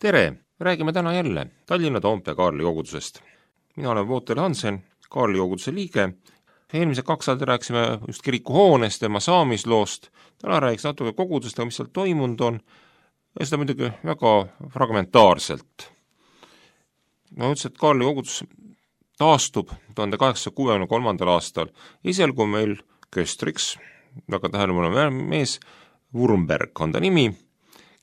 tere! Räägime täna jälle Tallinna Toompea Kaarli kogudusest. Mina olen Wouter Hansen, Kaarli koguduse liige. Eelmised 2 aastat rääkisime just kiriku hoonest, tema saamisloost. Täna räägiks natuke kogudusest, mis seal toimunud on. Ja seda muidugi väga fragmentaarselt. Ma ütlesin, et Kaarli kogudus taastub 1863. aastal. Esialgu meil köstriks, väga tähelepanu mees, Wurmberg on ta nimi,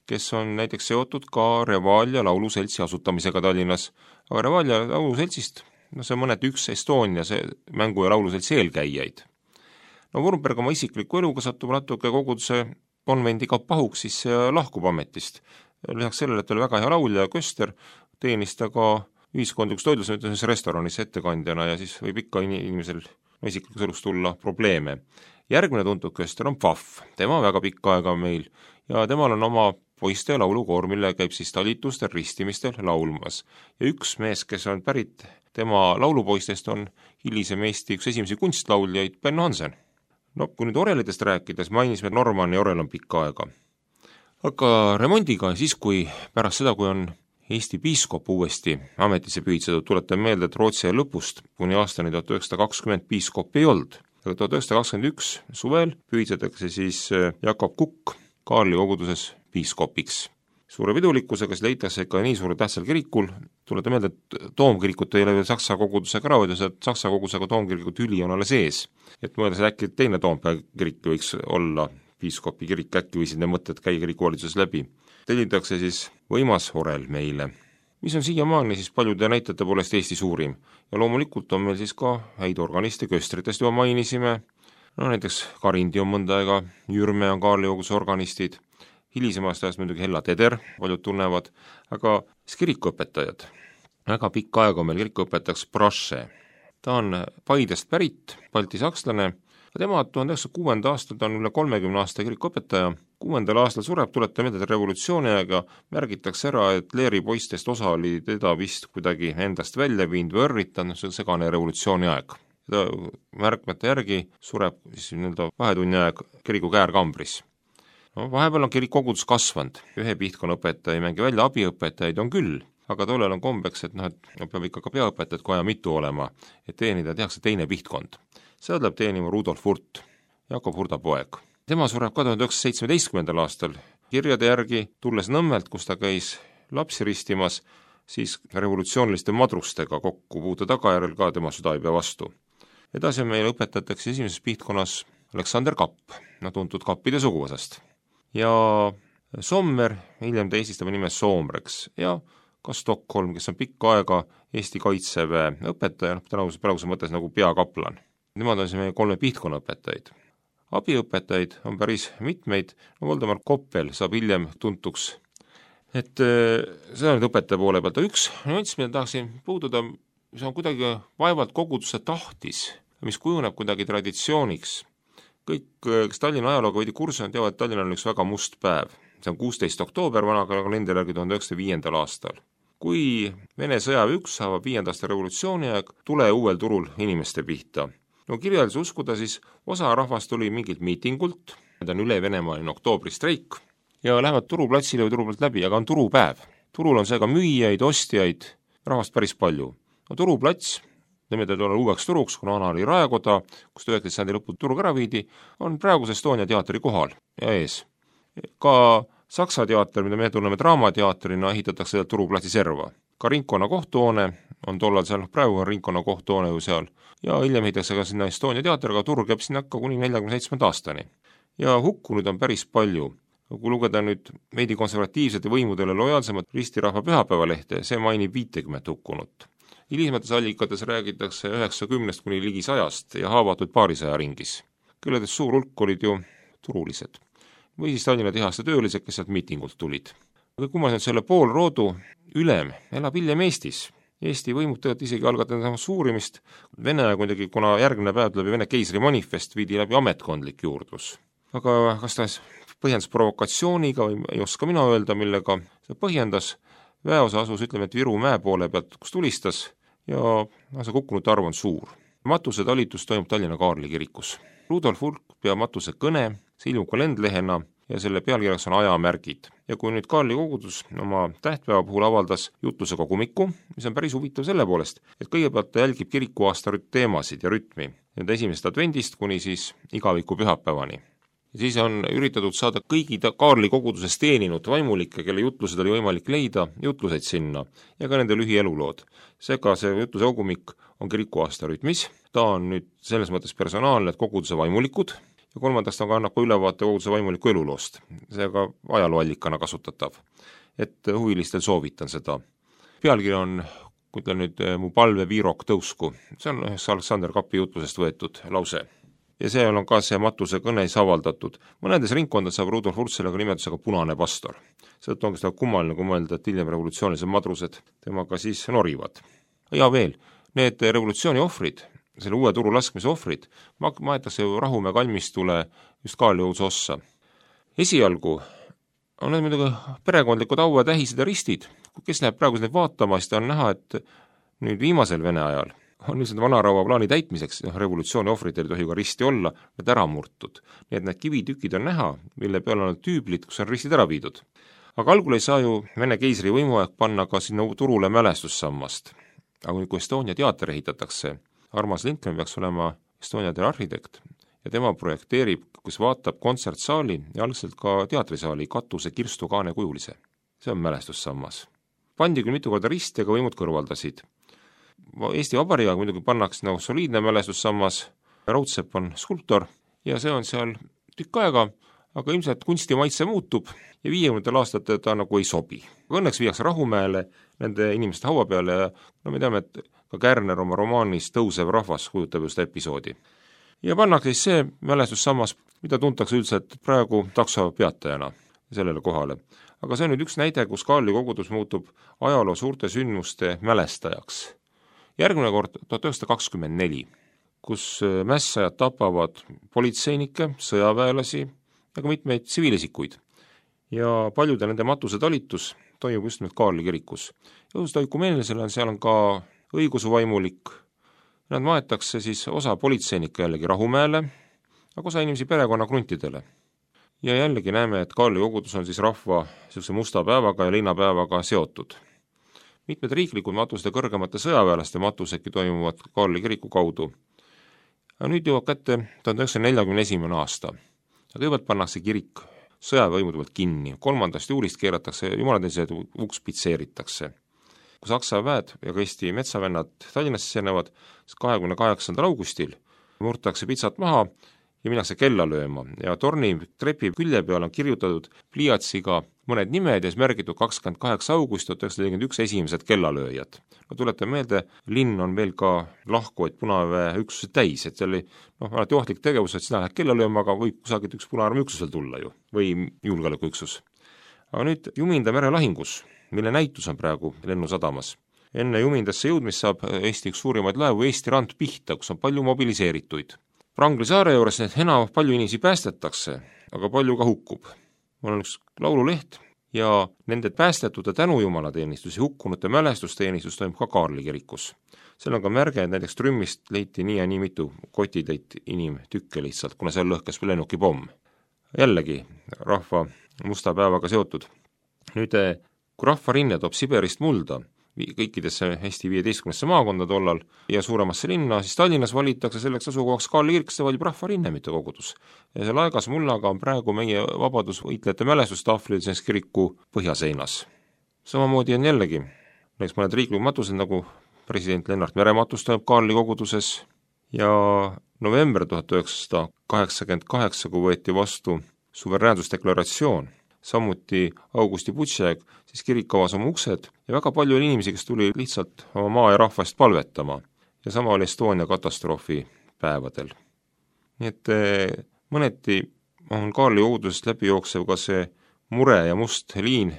kes on näiteks seotud ka Revalia lauluseltsi asutamisega Tallinnas. Aga Revalia lauluseltsist, see on mõneti üks Estonia see mängu- ja lauluseltsi eelkäijaid. Wurmberg oma isikliku eluga satub natuke koguduse konvendiga pahuks, siis lahkub ametist. Lisaks sellele, et oli väga hea laulja ja köster, teenis ta ka ühiskondlikus toidlusõiduses restoranis ettekandjana ja siis võib ikka inimesel isiklikus elus tulla probleeme. Järgmine tuntud köster on Pfaff, tema väga pikka aega meil ja temal on oma poiste laulukoor, mille käib siis talitustel, ristimistel laulmas. Ja üks mees, kes on pärit tema laulupoistest, on hilisem Eesti üks esimesi kunstlauljaid, Ben Hansen. Kui nüüd orelitest rääkides, mainisime, et Normanni orel on pikka aega. Aga remondiga siis, kui pärast seda, kui on Eesti piiskop uuesti ametisse pühitsetud, tuletan meelde, et Rootsi lõpust kuni aastani 1920 piiskop ei olnud. Aga 1921 suvel pühitsetakse siis Jakob Kukk Kaarli koguduses piiskopiks. Suure pidulikkusega leitakse ikka nii suure tähtsal kirikul, tuletan meelde, et toomkirikut ei ole veel Saksa kogudusega ära hoidnud, et Saksa kogudusega toomkirikut üli on alles ees. Et mõeldes, et äkki teine Toompea kirik võiks olla piiskopi kirik, äkki võisid need mõtted käia kirikuvalitsuses läbi. Tellitakse siis võimas orel meile, mis on siiamaani siis paljude näitajate poolest Eesti suurim. Ja loomulikult on meil siis ka häid organiste, köstritest juba mainisime, näiteks Karindi on mõnda aega, Jürme on Kaarli koguduse organistid, hilisemast ajast muidugi Hella Teder, paljud tunnevad, aga siis kirikuõpetajad. Väga pikka aega on meil kirikuõpetajaks Brasche. Ta on Paidest pärit, baltisakslane, tema 1906. aastal ta on üle 30 aasta kirikuõpetaja. 6. aastal sureb, tuletab meelde, et revolutsiooni aega märgitakse ära, et Leeri poistest osa oli teda vist kuidagi endast välja viinud või õrritanud, see segane revolutsiooni aeg. Märkmete järgi sureb siis vahetunni aeg kiriku käärkambris. Vahepeal on kirik kogudus kasvanud, ühe pihtkonna õpetaja ei mängi välja, abiõpetajaid on küll, aga tollel on kombeks, et peab ikka ka peaõpetajad koja mitu olema, et teenida tehakse teine pihtkond. Seda tuleb teenima Rudolf Hurt, Jakob Hurda poeg. Tema sureb 1917. aastal kirjade järgi, tulles Nõmmelt, kus ta käis lapsi ristimas, siis revolutsiooniliste madrustega kokku puude tagajärjel ka tema süda ei pea vastu. Edasi on meil õpetatakse esimeses pihtkonnas Aleksander Kapp, tuntud kappide suguvõsast. Ja Sommer, hiljem ta eestistab nime Soomreks ja ka Stockholm, kes on pikka aega Eesti kaitseväe õpetaja, praeguse mõttes nagu peakaplan. Nemad on siis meie 3 pihtkonna õpetajaid. Abiõpetajaid on päris mitmeid, Voldemar Koppel saab hiljem tuntuks. Et see on õpetaja poole pealt. Üks nüanss, mida tahaksin puududa, mis on kuidagi vaevalt koguduse tahtis, mis kujuneb kuidagi traditsiooniks. Kõik, kes Tallinna ajalooga veidi kursus on, teavad, et Tallinna on üks väga must päev. See on 16. oktoober vana kalendri järgi 1905. aastal. Kui Vene sõjaväe 1 saavad 5. aasta revolutsiooni aeg, tule uuel turul inimeste pihta. Kirjalises uskuda siis osa rahvast tuli mingilt miitingult, need on üle Venemaaline oktoobri-streik, ja lähevad turuplatsile või turuplalt läbi, aga on turupäev. Turul on seega müüjaid, ostjaid, rahvast päris palju. Turuplats, nimetatud olla uueks turuks, kuna vana oli raekoda, kus 19. sajandi lõpul turg ära viidi, on praeguse Estonia teatri kohal ja ees. Ka Saksa teater, mida me tunneme draamateatrina, ehitatakse sealt turuplatsi serva. Ka ringkonna kohtuhoone on tollal seal, praegu on ringkonna kohtuhoone ju seal, ja hiljem ehitatakse ka sinna Estonia teater, aga turg jääb sinna ka kuni 47. aastani. Ja hukkunud on päris palju. Kui lugeda nüüd veidi konservatiivsete võimudele lojaalsemat ristirahva pühapäevalehte, see mainib 50 hukkunut. Hilisemates allikates räägitakse 90 kuni ligi 100 ja haavatud paarisaja ringis. Külledest suur hulk olid ju turulised. Või siis Tallinna tehaste töölised, kes sealt miitingult tulid. Aga kui ma selle poolroodu ülem elab hiljem Eestis. Eesti võimud tegelikult isegi algatanud suurimist. Vene aeg muidugi, kuna järgmine päev läbi Vene keisri manifest, viidi läbi ametkondlik juurdlus. Aga kas ta põhjendas provokatsiooniga või ei oska mina öelda, millega see põhjendas. Väeosa asus, ütleme, et Viru mäe poole pealt, kus tulistas ja see kukkunute arv on suur. Matuse talitus toimub Tallinna Kaarli kirikus. Rudolf Hurt peab matuse kõne, see ilmub kalendlehena ja selle pealkirjaks on ajamärgid. Ja kui nüüd Kaarli kogudus oma tähtpäeva puhul avaldas jutluse kogumiku, mis on päris huvitav selle poolest, et kõigepealt ta jälgib kirikuaasta teemasid ja rütmi, nüüd esimesest advendist kuni siis igaviku pühapäevani. Ja siis on üritatud saada kõigi Kaarli koguduses teeninud vaimulikke, kelle jutlused oli võimalik leida, jutluseid sinna ja ka nende lühielulood. Seega see jutluse kogumik on kirikuaasta rütmis, ta on nüüd selles mõttes personaalne, et koguduse vaimulikud, ja kolmandaks ta annab ka ülevaate koguduse vaimuliku eluloost, seega ajalooallikana kasutatav, et huvilistel soovitan seda. Pealkiri on, kui ütlen nüüd, mu palve viirok tõusku, see on ühest Aleksander Kapi jutlusest võetud lause. Ja see on ka see Matuse kõnes avaldatud. Mõnedes ringkondades saab Rudolf Hurt sellega nimetusega punane pastor. Seetõttu ongi seda kummaline, kui mõelda, et hiljem revolutsioonilised madrused temaga siis norivad. Ja veel, need revolutsiooni ohvrid, selle uue turu laskmise ohvrid, maetakse Rahumäe kalmistule just Kaarli koguduse ossa. Esialgu on need muidugi perekondlikud aua tähised ja ristid. Kes läheb praegu neid vaatama, siis on näha, et nüüd viimasel Vene ajal on lihtsalt vanaraua plaani täitmiseks, revolutsiooni ohvritel ei tohi ka risti olla, need ära murtud. Nii et need kivitükid on näha, mille peal on tüüblid, kus on ristid ära viidud. Aga algul ei saa ju Vene keisri võimuaeg panna ka sinna turule mälestussammast. Aga kui Estonia teater ehitatakse, Armas Lindgren peaks olema Estonia arhitekt ja tema projekteerib, kus vaatab kontsertsaali ja algselt ka teatrisaali katuse kirstu kaane kujulise. See on mälestussammas. Pandi küll mitu korda risti, aga võimud kõrvaldasid. Eesti Vabariigiga muidugi pannakse nagu soliidne mälestussammas, Raudsepp on skulptor ja see on seal tükk aega, aga ilmselt kunstimaitse muutub ja 50 aastatel ta nagu ei sobi. Õnneks viiakse Rahumäele nende inimeste haua peale ja me teame, et ka Kärner oma romaanis Tõusev rahvas kujutab just episoodi. Ja pannakse siis see mälestussammas, mida tuntakse üldiselt praegu takso peatajana sellele kohale. Aga see on nüüd üks näide, kus Kaarli kogudus muutub ajaloo suurte sündmuste mälestajaks. Järgmine kord 1924, kus mässajad tapavad politseinikke, sõjaväelasi ja ka mitmeid tsiviilisikuid. Ja paljude nende matuse talitus toimub just nüüd Kaarli kirikus. Jõusta ökumeenilisele seal on ka õigusuvaimulik. Nad maetakse siis osa politseinikke jällegi Rahumäele, aga osa inimesi perekonna kruntidele. Ja jällegi näeme, et Kaarli kogudus on siis rahva musta päevaga ja linnapäevaga seotud. Mitmed riiklikud matused ja kõrgemate sõjaväelaste matusedki toimuvad Kaarli kiriku kaudu. Ja nüüd jõuab kätte 1941. aasta. Ja kõigepealt pannakse kirik sõjaväevõimude poolt kinni. 3. juulist keeratakse jumalateenistused, uks pitseeritakse. Kui Saksa väed ja ka Eesti metsavennad Tallinnasse sisenevad, 28. augustil murtakse pitsat maha ja minnakse kella lööma. Ja torni trepi külje peal on kirjutatud pliiatsiga mõned nimed ja siis märgitud 28. august 1941 esimesed kellalööjad. No tuletan meelde, linn on veel ka lahkuvaid punaväe üksused täis, et see oli alati ohtlik tegevus, et sina lähed kella lööma, aga võib kusagilt üks punaarmi üksusel tulla ju, või julgeolekuüksus. Aga nüüd Juminda merelahingus, mille näitus on praegu lennusadamas. Enne Jumindasse jõudmist saab Eesti üks suurimaid laevu Eesti rand pihta, kus on palju mobiliseerituid. Prangli saare juures palju inimesi päästetakse, aga palju ka hukkub. Mul on üks laululeht ja nende päästetute tänujumalateenistus ja hukkunute mälestusteenistus toimub ka Kaarli kirikus. Seal on ka märge, et näiteks trümmist leiti nii ja nii mitu kotitäit inimtükke lihtsalt, kuna seal lõhkes lennukipomm. Jällegi rahva musta päevaga seotud. Nüüd, kui rahvarinne toob Siberist mulda kõikidesse Eesti 15 maakonda tollal ja suuremasse linna, siis Tallinnas valitakse selleks asukohaks Kaarli kirik, see valib rahvarinne, mitte kogudus. Ja see laegas mullaga on praegu meie vabadusvõitlejate mälestustahvlil selles kiriku põhjaseinas. Samamoodi on jällegi näiteks mõned riiklikud matused, nagu president Lennart Mere matus toimub Kaarli koguduses ja november 1988, kui võeti vastu suveräänsusdeklaratsioon, samuti Augusti Butšek, siis kirik avas oma uksed ja väga palju oli inimesi, kes tuli lihtsalt oma maa ja rahvast palvetama. Ja sama oli Estonia katastroofi päevadel. Nii et mõneti on Kaarli kogudusest läbi jooksev ka see mure ja must liin,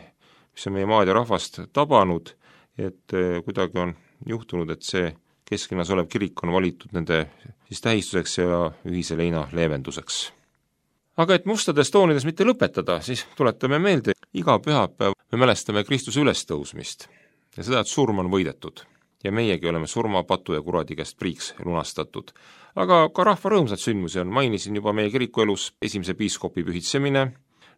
mis on meie maad ja rahvast tabanud, et kuidagi on juhtunud, et see kesklinnas olev kirik on valitud nende siis tähistuseks ja ühise leina leevenduseks. Aga et mustades toonides mitte lõpetada, siis tuletame meelde, iga pühapäev me mälestame Kristuse ülestõusmist ja seda, et surm on võidetud. Ja meiegi oleme surma, patu ja kuradi käest priiks lunastatud. Aga ka rahva rõõmsad sündmusi on, mainisin juba meie kirikuelus esimese piiskopi pühitsemine,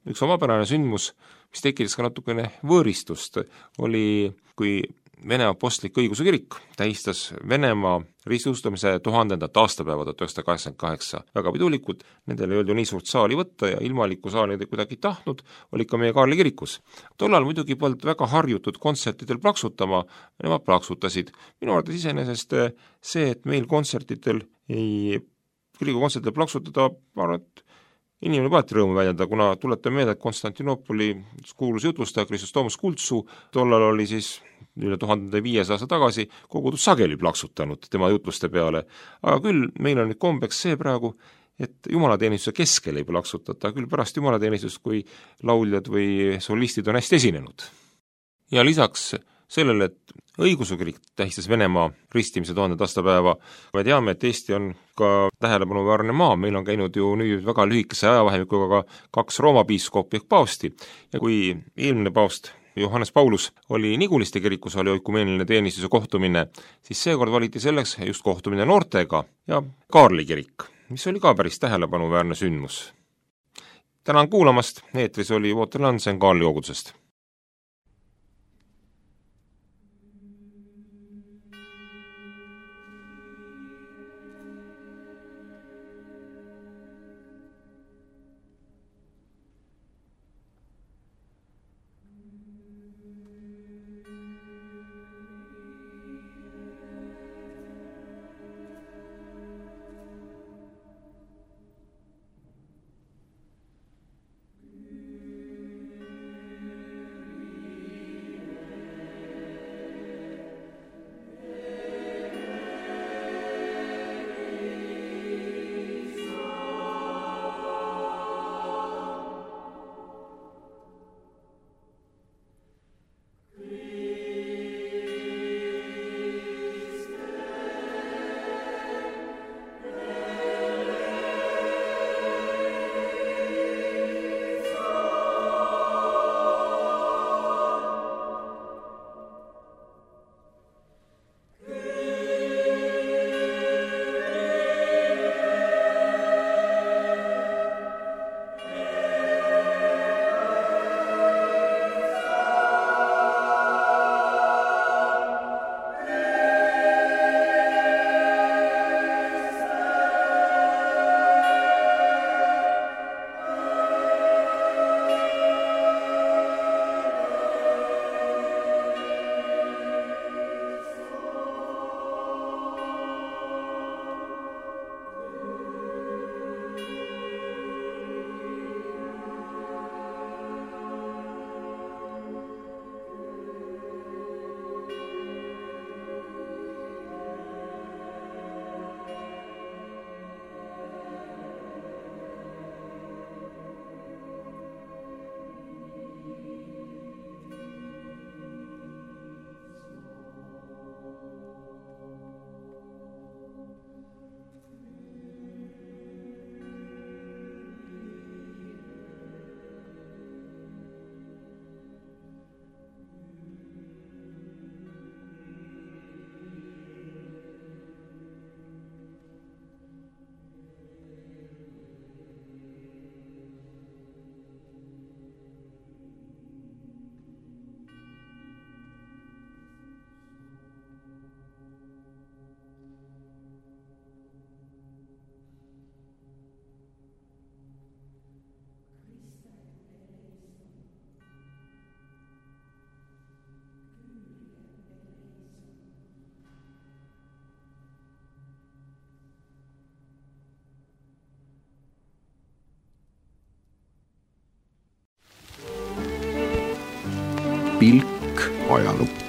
üks omapärane sündmus, mis tekitas ka natukene võõristust, oli, kui Vene Apostlik Õigeusu Kirik tähistas Venemaa ristiustamise 1000. aastapäeva 1988 väga pidulikult, nendel ei olnud ju nii suurt saali võtta ja ilmalikku saali nad kuidagi tahtnud, oli ka meie Kaarli kirikus. Tollal muidugi polnud väga harjutud kontsertidel plaksutama, nemad plaksutasid. Minu arvates iseenesest see, et meil kontsertidel kiriku kontsertidel plaksutada, ma arvan, et inimene paati rõõmu väljendada, kuna tuletan meelde, et Konstantinoopoli kuulus jutlustaja Chrysostomos Kultsu tollal oli siis üle 1500 aasta tagasi kogudus sageli plaksutanud tema jutluste peale. Aga küll meil on nüüd kombeks see praegu, et jumalateenistuse keskel ei plaksutata, küll pärast jumalateenistust, kui lauljad või solistid on hästi esinenud. Ja lisaks sellele, et Õigeusu Kirik tähistas Venemaa ristimise 1000. aastapäeva, me teame, et Eesti on ka tähelepanuväärne maa, meil on käinud ju nüüd väga lühikese ajavahemikuga ka 2 Rooma piiskopi ehk paavsti ja kui eelmine paavst Johannes Paulus oli Niguliste kirikus, oli oikumeeniline teenistuse kohtumine, siis seekord valiti selleks just kohtumine noortega ja Kaarli kirik, mis oli ka päris tähelepanuväärne sündmus. Tänan kuulamast, eetris oli Wouter Hansen Kaarli kogudusest. pilk ajalukku.